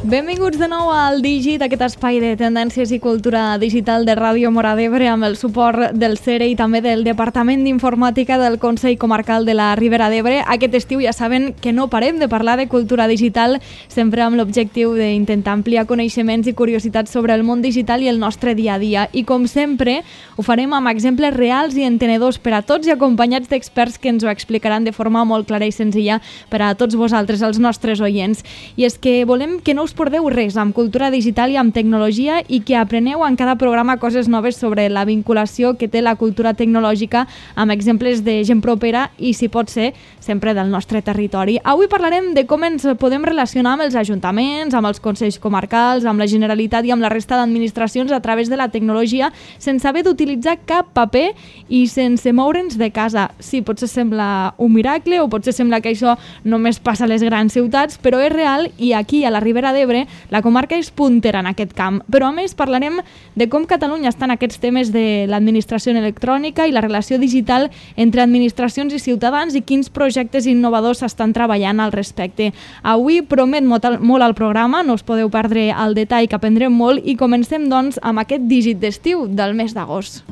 Benvinguts de nou al Dígit, aquest espai de tendències i cultura digital de Ràdio Móra d'Ebre amb el suport del CERE i també del Departament d'Informàtica del Consell Comarcal de la Ribera d'Ebre. Aquest estiu ja saben que no parem de parlar de cultura digital, sempre amb l'objectiu d'intentar ampliar coneixements i curiositats sobre el món digital i el nostre dia a dia. I com sempre, ho farem amb exemples reals i entenedors per a tots i acompanyats d'experts que ens ho explicaran de forma molt clara i senzilla per a tots vosaltres, els nostres oients. I és que volem que no us perdeu res amb cultura digital i amb tecnologia i que apreneu en cada programa coses noves sobre la vinculació que té la cultura tecnològica amb exemples de gent propera i, si pot ser, sempre del nostre territori. Avui parlarem de com ens podem relacionar amb els ajuntaments, amb els consells comarcals, amb la Generalitat i amb la resta d'administracions a través de la tecnologia sense haver d'utilitzar cap paper i sense moure'ns de casa. Sí, potser sembla un miracle o potser sembla que això només passa a les grans ciutats, però és real i aquí, a la Ribera d'Ebre, la comarca és puntera en aquest camp. Però a més parlarem de com Catalunya està en aquests temes de l'administració electrònica i la relació digital entre administracions i ciutadans i quins projectes innovadors s'estan treballant al respecte. Avui promet molt el programa, no us podeu perdre el detall que aprendrem molt i comencem doncs amb aquest dígit d'estiu del mes d'agost.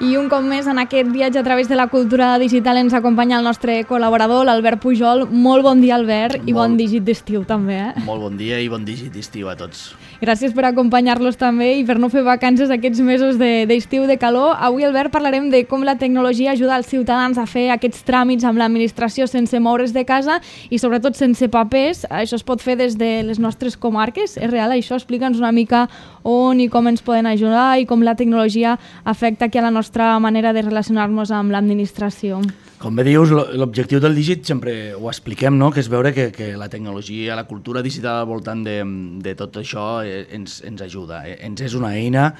I un cop més, en aquest viatge a través de la cultura digital ens acompanya el nostre col·laborador, l'Albert Pujol. Molt bon dia, Albert, i bon dígit d'estiu també. Molt bon dia i bon dígit d'estiu a tots. Gràcies per acompanyar-los també i per no fer vacances aquests mesos d'estiu de calor. Avui, Albert, parlarem de com la tecnologia ajuda els ciutadans a fer aquests tràmits amb l'administració sense moure's de casa i sobretot sense papers. Això es pot fer des de les nostres comarques. És real això? Explica'ns una mica on i com ens poden ajudar i com la tecnologia afecta aquí a la nostra manera de relacionar-nos amb l'administració. Com bé dius, l'objectiu del dígit sempre ho expliquem, no? Que és veure que la tecnologia, la cultura digital al voltant de tot això ens ajuda. Ens és una eina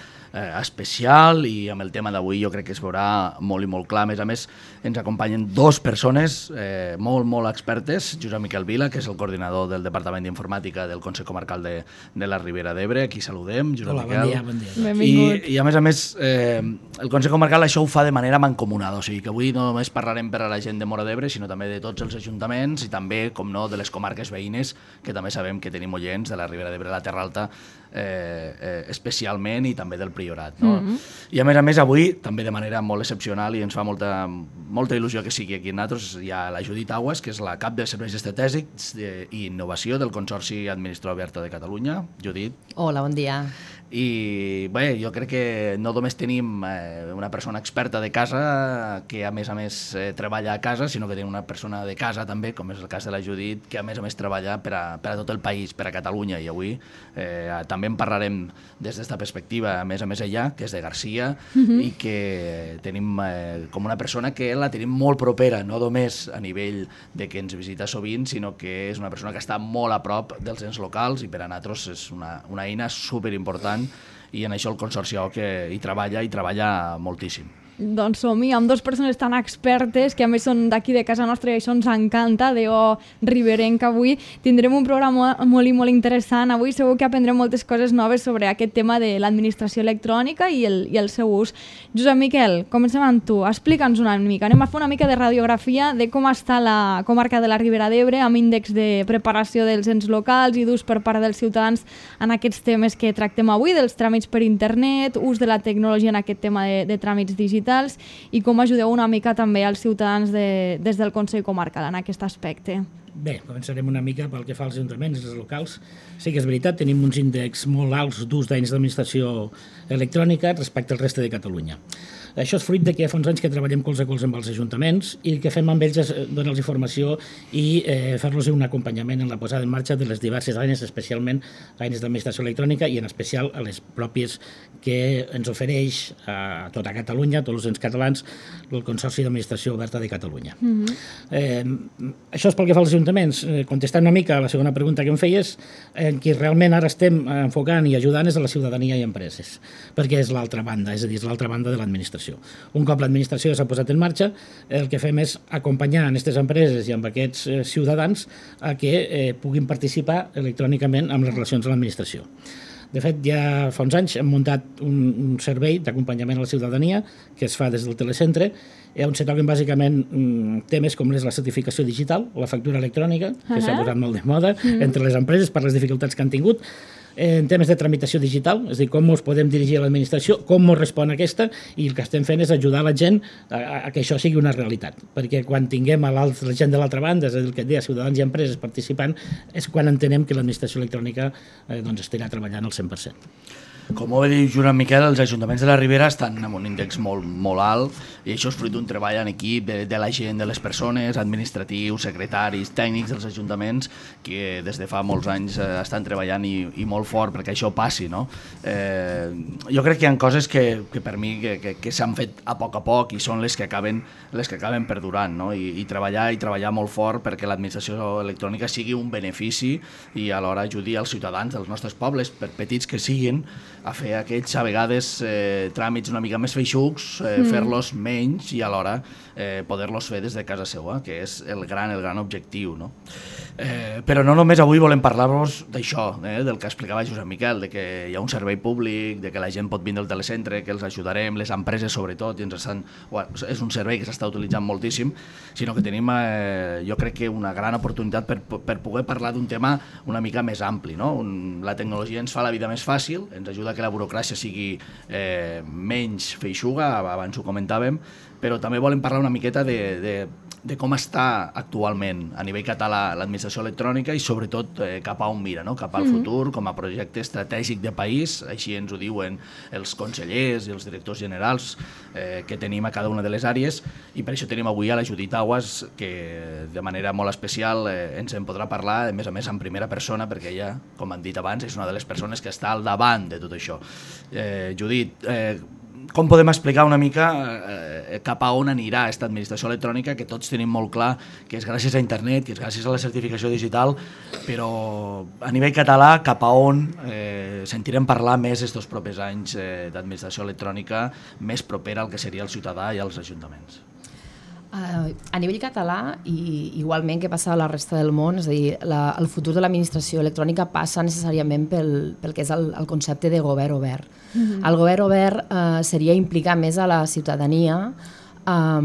especial i amb el tema d'avui jo crec que es veurà molt i molt clar. A més, ens acompanyen dues persones molt expertes, Josep Miquel Vila, que és el coordinador del Departament d'Informàtica del Consell Comarcal de la Ribera d'Ebre. Aquí saludem, Josep Miquel. Bon dia. Benvingut. I a més, el Consell Comarcal això ho fa de manera mancomunada, o sigui que avui no només parlarem per a la gent de Móra d'Ebre, sinó també de tots els ajuntaments i també, com no, de les comarques veïnes, que també sabem que tenim oients de la Ribera d'Ebre, la Terra Alta, especialment, i també del Priorat. No? I a més, avui, també de manera molt excepcional, i ens fa molta il·lusió que sigui aquí amb nosaltres, hi ha la Judit Aguas, que és la cap de serveis estratègics i innovació del Consorci Administració Oberta de Catalunya. Judit. Hola, bon dia. I bé, jo crec que no només tenim una persona experta de casa que a més treballa a casa, sinó que tenim una persona de casa també, com és el cas de la Judit, que a més treballa per a tot el país, per a Catalunya, i avui també en parlarem des d'esta perspectiva, a més ella, que és de Garcia, i que tenim com una persona que la tenim molt propera, no només a nivell de que ens visita sovint, sinó que és una persona que està molt a prop dels ens locals i per a nosaltres és una eina superimportant i en això el Consorci que hi treballa moltíssim. Doncs som-hi, amb dues persones tan expertes que a més són d'aquí de casa nostra i això ens encanta, riberenc. Avui tindrem un programa molt i molt interessant. Avui segur que aprendrem moltes coses noves sobre aquest tema de l'administració electrònica i el seu ús. Josep Miquel, comencem amb tu. Explica'ns una mica. Anem a fer una mica de radiografia de com està la comarca de la Ribera d'Ebre amb índex de preparació dels ens locals i d'ús per part dels ciutadans en aquests temes que tractem avui, dels tràmits per internet, ús de la tecnologia en aquest tema de tràmits digitals i com ajudeu una mica també als ciutadans des del Consell Comarcal en aquest aspecte. Bé, començarem una mica pel que fa als ajuntaments, els locals. Sí que és veritat, tenim uns índexs molt alts d'ús d'eines d'administració electrònica respecte al reste de Catalunya. Això és fruit de que fa uns anys que treballem colze a colze amb els ajuntaments i el que fem amb ells és donar-los informació i fer-los un acompanyament en la posada en marxa de les diverses eines, especialment eines d'administració electrònica i en especial a les pròpies que ens ofereix a tota Catalunya, a tots els ens catalans, el Consorci d'Administració Oberta de Catalunya. Això és pel que fa als ajuntaments. Contestant una mica a la segona pregunta que em feies, qui realment ara estem enfocant i ajudant és a la ciutadania i empreses, perquè és l'altra banda, és a dir, és l'altra banda de l'administració. l'administració. Un cop l'administració s'ha posat en marxa, el que fem és acompanyar aquestes empreses i amb aquests ciutadans a que puguin participar electrònicament amb les relacions amb l'administració. De fet, ja fa uns anys hem muntat un servei d'acompanyament a la ciutadania que es fa des del telecentre, on se toquen bàsicament temes com és la certificació digital, la factura electrònica, que s'ha posat molt de moda entre les empreses per les dificultats que han tingut, en temes de tramitació digital, és a dir, com ens podem dirigir a l'administració, com ens respon aquesta, i el que estem fent és ajudar la gent a que això sigui una realitat, perquè quan tinguem la gent de l'altra banda, és a dir, el que et deia, ciutadans i empreses participant, és quan entenem que l'administració electrònica estarà treballant al 100%. Com ho va dir Joan Miquel, els ajuntaments de la Ribera estan amb un índex molt alt i això és fruit d'un treball en equip de la gent, de les persones, administratius, secretaris, tècnics dels ajuntaments que des de fa molts anys estan treballant i molt fort perquè això passi, no? Jo crec que hi ha coses que per mi que s'han fet a poc i són les que acaben perdurant, no? I treballar molt fort perquè l'administració electrònica sigui un benefici i alhora ajudi als ciutadans dels nostres pobles, per petits que siguin, a fer aquests, a vegades, tràmits una mica més feixucs, fer-los menys i alhora poder-los fer des de casa seva, que és el gran objectiu, no? Però no només avui volem parlar-vos d'això, del que explicava Josep Miquel, de que hi ha un servei públic, de que la gent pot vindre al telecentre, que els ajudarem, les empreses sobretot, i és un servei que s'està utilitzant moltíssim, sinó que tenim, jo crec que una gran oportunitat per poder parlar d'un tema una mica més ampli, no? La tecnologia ens fa la vida més fàcil, ens ajuda que la burocràcia sigui menys feixuga, abans ho comentàvem, però també volem parlar una miqueta de com està actualment a nivell català l'administració electrònica i sobretot cap a on mira, no? Cap al futur, com a projecte estratègic de país, així ens ho diuen els consellers i els directors generals que tenim a cada una de les àrees, i per això tenim avui a la Judit Aguas, que de manera molt especial ens en podrà parlar, a més en primera persona, perquè ella, com han dit abans, és una de les persones que està al davant de tot això. Judit, com podem explicar una mica cap a on anirà aquesta administració electrònica, que tots tenim molt clar que és gràcies a internet, que és gràcies a la certificació digital, però a nivell català cap a on sentirem parlar més estos propers anys d'administració electrònica més propera al que seria el ciutadà i als ajuntaments? A nivell català, i igualment que passa a la resta del món, és a dir, el futur de l'administració electrònica passa necessàriament pel que és el concepte de govern obert. El govern obert seria implicar més a la ciutadania a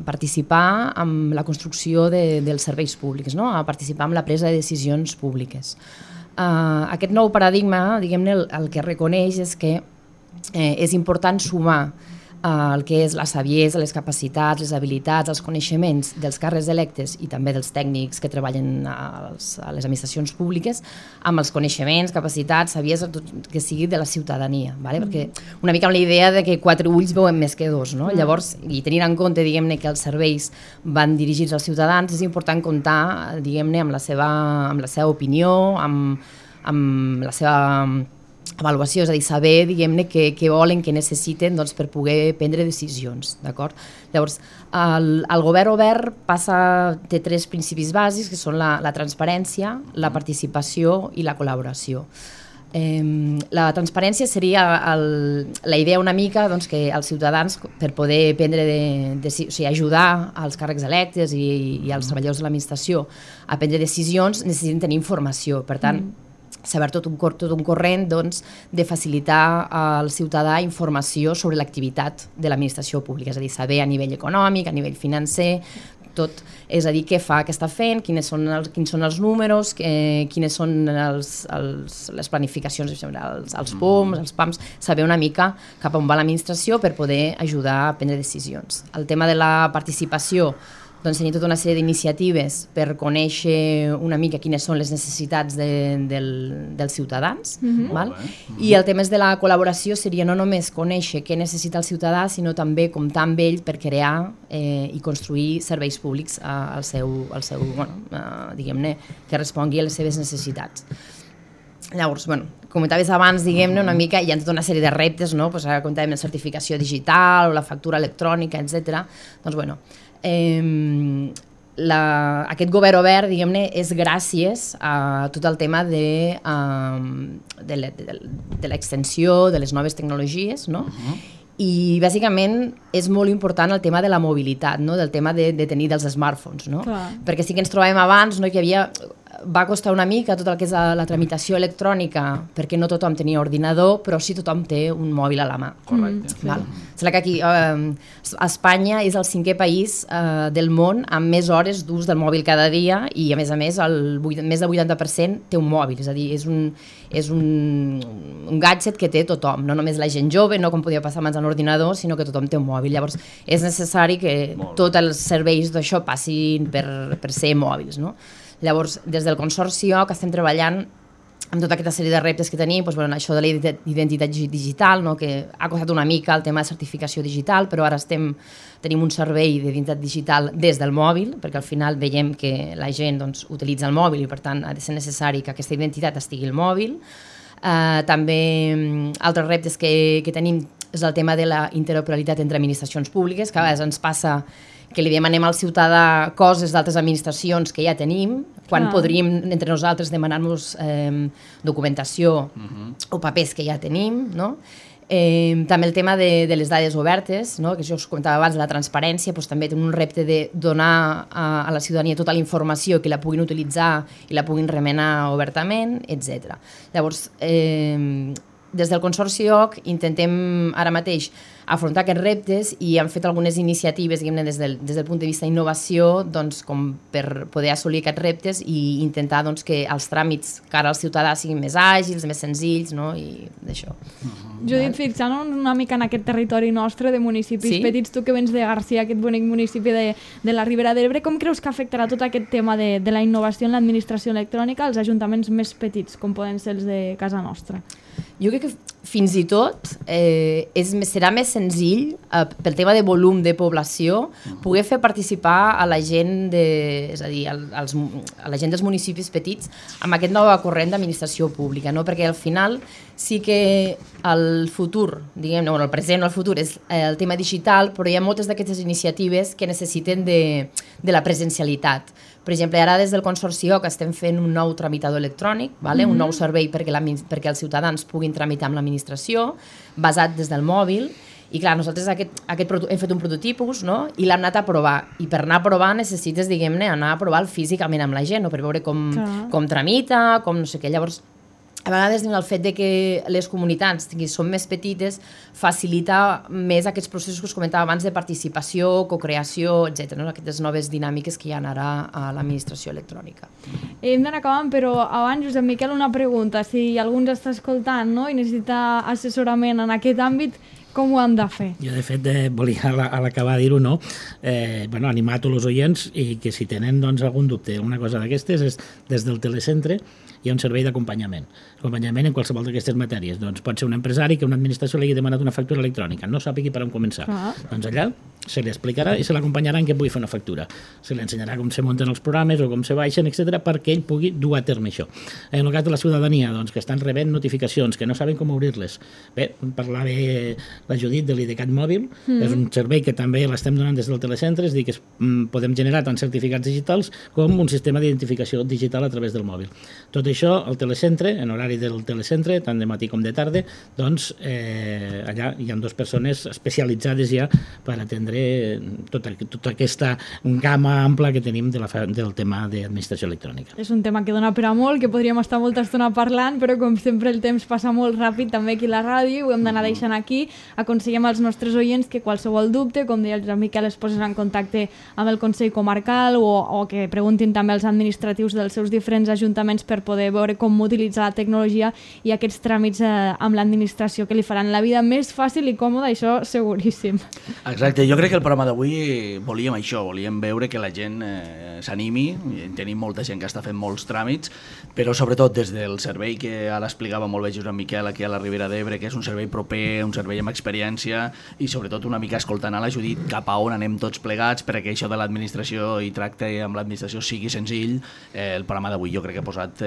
participar en la construcció dels serveis públics, no? A participar en la presa de decisions públiques. Aquest nou paradigma, diguem-ne, el que reconeix és que és important sumar el que és la saviesa, les capacitats, les habilitats, els coneixements dels càrrecs electes i també dels tècnics que treballen a les administracions públiques amb els coneixements, capacitats, saviesa, tot que sigui de la ciutadania, ¿vale? Perquè una mica amb la idea de que 4 ulls veuen més que 2, no? Llavors, i tenint en compte, diguem-ne, que els serveis van dirigits als ciutadans, és important comptar, diguem-ne, amb la seva opinió, amb la seva avaluació, és a dir, saber, diguem-ne, què volen, què necessiten per poder prendre decisions, d'acord? Llavors, el govern obert té 3 principis bàsics, que són la transparència, la participació i la col·laboració. La transparència seria la idea una mica que els ciutadans, per poder prendre o sigui, ajudar als càrrecs electes i als treballadors de l'administració a prendre decisions, necessiten tenir informació. Per tant, saber tot un corrent de facilitar al ciutadà informació sobre l'activitat de l'administració pública, és a dir, saber a nivell econòmic, a nivell financer, tot, és a dir, què fa, què està fent, quins són els números, quines són les planificacions, els POMs, els PAMs, saber una mica cap on va l'administració per poder ajudar a prendre decisions. El tema de la participació, tenir tota una sèrie d'iniciatives per conèixer una mica quines són les necessitats dels ciutadans. I el tema de la col·laboració seria no només conèixer què necessita el ciutadà, sinó també comptar amb ell per crear i construir serveis públics al seu diguem-ne, que respongui a les seves necessitats. Llavors, comentaves abans, diguem-ne, una mica, hi ha tota una sèrie de reptes, no? Ara comentàvem la certificació digital o la factura electrònica, etc. Doncs, aquest govern obert, diguem-ne, és gràcies a tot el tema de l'extensió de les noves tecnologies, no? i bàsicament és molt important el tema de la mobilitat, no? Del tema de tenir dels smartphones, no? Perquè sí que ens trobàvem abans, no? Que hi havia... Va costar una mica tot el que és la tramitació electrònica, perquè no tothom tenia ordinador, però sí tothom té un mòbil a la mà. Correcte. Sembla que aquí Espanya és el 5è país del món amb més hores d'ús del mòbil cada dia i, a més, més del 80% té un mòbil, és a dir, és un gadget que té tothom, no només la gent jove, no com podia passar abans a l'ordinador, sinó que tothom té un mòbil. Llavors, és necessari que tots els serveis d'això passin per ser mòbils, no? Llavors, des del Consorci que estem treballant amb tota aquesta sèrie de reptes que tenim, doncs, bueno, això de l'identitat digital, no? Que ha costat una mica el tema de certificació digital, però ara tenim un servei d'identitat digital des del mòbil, perquè al final veiem que la gent doncs, utilitza el mòbil i per tant ha de ser necessari que aquesta identitat estigui al mòbil. També altres reptes que tenim és el tema de la interoperabilitat entre administracions públiques, que a vegades ens passa que li demanem al ciutadà coses d'altres administracions que ja tenim, quan podríem entre nosaltres demanar-nos documentació o papers que ja tenim, no? També el tema de les dades obertes, no? Que jo us comentava abans, de la transparència, doncs també tenim un repte de donar a la ciutadania tota la informació que la puguin utilitzar i la puguin remenar obertament, etc. Llavors, des del Consorci OC intentem ara mateix afrontar aquests reptes i hem fet algunes iniciatives, diguem-ne, des del punt de vista d'innovació, doncs, com per poder assolir aquests reptes i intentar doncs, que els tràmits cara al ciutadà siguin més àgils, més senzills, no? I d'això. Judit, fixant-nos una mica en aquest territori nostre de municipis petits, tu que vens de Garcia, aquest bonic municipi de la Ribera d'Ebre, com creus que afectarà tot aquest tema de la innovació en l'administració electrònica als ajuntaments més petits, com poden ser els de casa nostra? Jo crec que fins i tot serà més senzill, pel tema de volum de població, poder fer participar a la gent és a dir, a la gent dels municipis petits amb aquest nou corrent d'administració pública, no? Perquè al final sí que el futur, diguem-ne, el present o el futur és el tema digital, però hi ha moltes d'aquestes iniciatives que necessiten de la presencialitat. Per exemple, ara des del Consorci que estem fent un nou tramitador electrònic, un nou servei perquè els ciutadans puguin tramitar amb l'administració, basat des del mòbil, i clar, nosaltres hem fet un prototipus, no? I l'hem anat a provar, i per anar a provar necessites, diguem-ne, anar a provar físicament amb la gent, no? Per veure com tramita, com no sé què. Llavors, a vegades el fet de que les comunitats són més petites facilita més aquests processos que us comentava abans de participació, cocreació, etc. No? Aquestes noves dinàmiques que hi ha ara a l'administració electrònica. Hem d'anar acabant, però abans, Josep Miquel, una pregunta. Si algú ens està escoltant, no? I necessita assessorament en aquest àmbit, com ho han de fer? Jo, de fet, volia a l'acabar dir-ho, no? Animar a tots els oients i que si tenen algun dubte, alguna cosa d'aquestes, és des del telecentre hi ha un servei d'acompanyament. Acompanyament en qualsevol d'aquestes matèries. Doncs pot ser un empresari que una administració li hagi demanat una factura electrònica, no sàpigui per on començar. Doncs allà se li explicarà i se l'acompanyarà en què pugui fer una factura. Se li ensenyarà com se munten els programes o com se baixen, etc., perquè ell pugui dur a terme això. En el cas de la ciutadania, doncs, que estan rebent notificacions, que no saben com obrir-les. Bé, parlava la Judit de l'IDCAT mòbil, és un servei que també l'estem donant des del telecentre, és a dir, que podem generar tant certificats digitals com un sistema d'identificació digital a través del mòbil. Tot això, al telecentre, en horari del telecentre, tant de matí com de tarda, doncs allà hi ha 2 persones especialitzades ja per atendre tota aquesta gamma ampla que tenim del tema d'administració electrònica. És un tema que dona per a molt, que podríem estar molta estona parlant, però com sempre el temps passa molt ràpid també aquí a la ràdio i ho hem d'anar deixant aquí. Aconsellem als nostres oients que qualsevol dubte, com deia el Josep Miquel, es posen en contacte amb el Consell Comarcal o que preguntin també als administratius dels seus diferents ajuntaments per poder veure com utilitzar la tecnologia i aquests tràmits amb l'administració que li faran la vida més fàcil i còmoda, això seguríssim. Exacte, jo crec que el programa d'avui volíem això, volíem veure que la gent s'animi, tenim molta gent que està fent molts tràmits, però sobretot des del servei que ara explicava molt bé Josep Miquel aquí a la Ribera d'Ebre, que és un servei proper, un servei amb experiència i sobretot una mica escoltant a la Judit cap a on anem tots plegats perquè això de l'administració i tracte amb l'administració sigui senzill. El programa d'avui jo crec que ha posat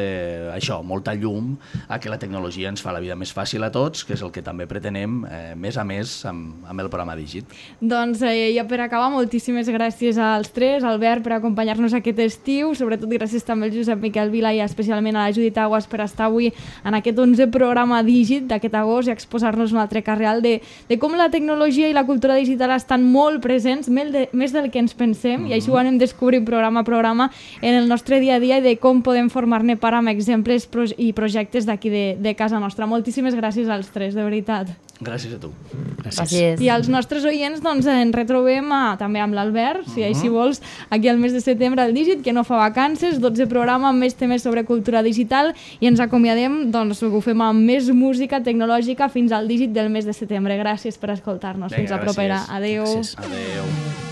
això, molta llum a que la tecnologia ens fa la vida més fàcil a tots, que és el que també pretenem més a més amb el programa Digit. Doncs ja per acabar, moltíssimes gràcies als tres, Albert, per acompanyar-nos aquest estiu, sobretot gràcies també al Josep Miquel Vila i especialment a la Judit Aguas per estar avui en aquest 11è programa Dígit d'aquest agost i exposar-nos un altre cas real de com la tecnologia i la cultura digital estan molt presents, més del que ens pensem, i així ho anem descobrint programa a programa en el nostre dia a dia i de com podem formar-ne part amb exemples i projectes d'aquí de casa nostra. Moltíssimes gràcies als tres, de veritat. Gràcies a tu. Gràcies. I als nostres oients doncs, ens retrobem també amb l'Albert, si vols, aquí al mes de setembre al Dígit, que no fa vacances, 12 programa amb més temes sobre cultura digital i ens acomiadem, doncs ho fem amb més música tecnològica fins al Dígit del mes de setembre. Gràcies per escoltar-nos. Fins la propera. Adéu. Adéu.